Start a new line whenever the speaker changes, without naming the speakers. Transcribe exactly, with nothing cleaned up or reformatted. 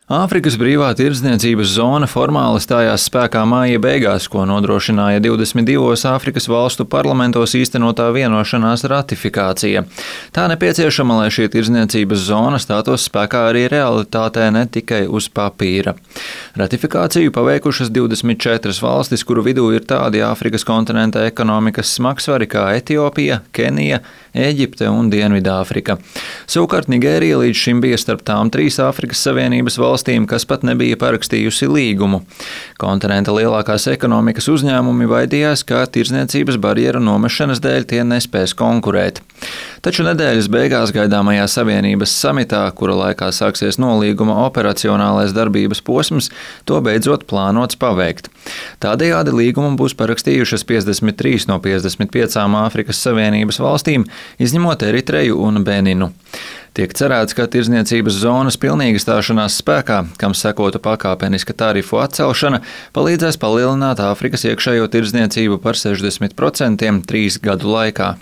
Āfrikas brīvā tirdzniecības zona formāli stājās spēkā māja beigās, ko nodrošināja divdesmit divos Āfrikas valstu parlamentos īstenotā vienošanās ratifikācija. Tā nepieciešama, lai šī tirdzniecības zona stātos spēkā arī realitātē, ne tikai uz papīra. Ratifikāciju paveikušas divdesmit četras valstis, kuru vidū ir tādi Āfrikas kontinenta ekonomikas smagsvari kā Etiopija, Kenija, Ēģipte un Dienvidāfrika. Savukārt Nigērija līdz šim bija starp tām trīs Āfrikas Savienības valstīm, kas pat nebija parakstījusi līgumu. Kontinenta lielākās ekonomikas uzņēmumi baidījās, ka tirdzniecības barjeru nomešanas dēļ tie nespēs konkurēt. Taču nedēļas beigās gaidāmajā Savienības samitā, kura laikā sāksies nolīguma operacionālais darbības posms, to beidzot plānots paveikt. Tādējādi līgumu būs parakstījušas piecdesmit trīs no piecdesmit piecām Āfrikas Savienības valstīm, izņemot Eritreju un Beninu. Tiek cerēts, ka tirdzniecības zonas pilnīga stāšanās spēkā, kam sekotu pakāpeniska tarifu atcelšana, palīdzēs palielināt Āfrikas iekšējo tirdzniecību par sešdesmit procentiem trīs gadu laikā.